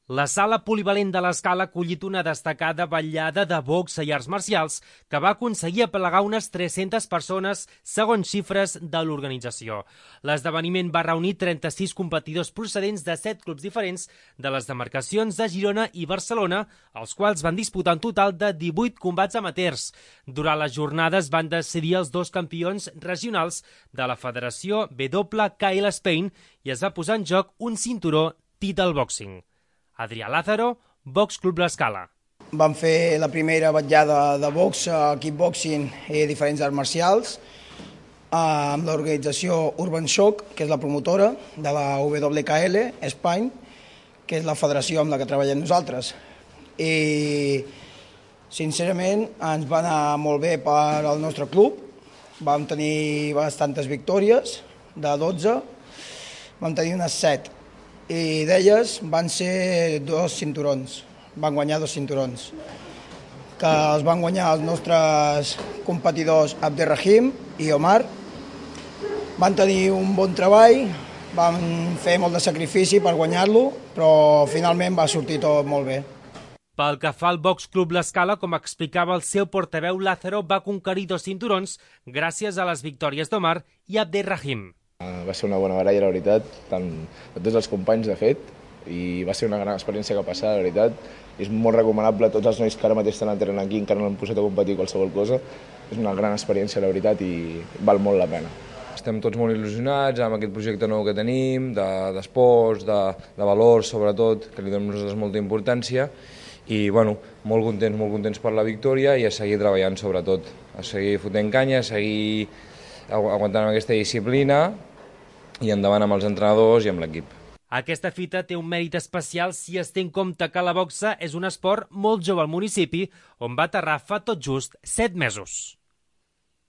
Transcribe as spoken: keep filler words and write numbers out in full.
La sala polivalent de l'Escala ha acollit una destacada vetllada de boxa i arts marcials que va aconseguir aplegar unes tres-centes persones, segons xifres de l'organització. L'esdeveniment va reunir trenta-sis competidors procedents de set clubs diferents de les demarcacions de Girona i Barcelona, els quals van disputar un total de divuit combats amateurs. Durant les jornades van decidir els dos campions regionals de la Federació W K L Spain i es va posar en joc un cinturó Title Boxing. Adrià Lázaro, Box Club l'Escala. Vam fer la primera vetllada de box, kickboxing i diferents arts marcials amb l'organització Urban Shock, que és la promotora de la W K L Spain, que és la federació amb la que treballem nosaltres. I sincerament ens va anar molt bé per al nostre club. Vam tenir bastantes victòries, de dotze, vam tenir unes set. I d'elles van ser dos cinturons, van guanyar dos cinturons, que els van guanyar els nostres competidors Abderrahim i Omar. Van tenir un bon treball, van fer molt de sacrifici per guanyar-lo, però finalment va sortir tot molt bé. Pel que fa al Box Club l'Escala, com explicava el seu portaveu, Lázaro va conquerir dos cinturons gràcies a les victòries d'Omar i Abderrahim. Va ser una bona baralla, la veritat, tant de tots els companys, de fet, i va ser una gran experiència que passar, la veritat. És molt recomanable a tots els nois que ara mateix estan entrenant aquí, encara no han posat a competir qualsevol cosa. És una gran experiència, la veritat, i val molt la pena. Estem tots molt il·lusionats amb aquest projecte nou que tenim, d'esports, de, de, de valors, sobretot, que li donem nosaltres molta importància, i bueno, molt contents, molt contents per la victòria i a seguir treballant, sobretot, a seguir fotent canya, a seguir aguantant amb aquesta disciplina i endavant amb els entrenadors i amb l'equip. Aquesta fita té un mèrit especial si es té en compte que la boxa és un esport molt jove al municipi on va aterrar fa tot just set mesos.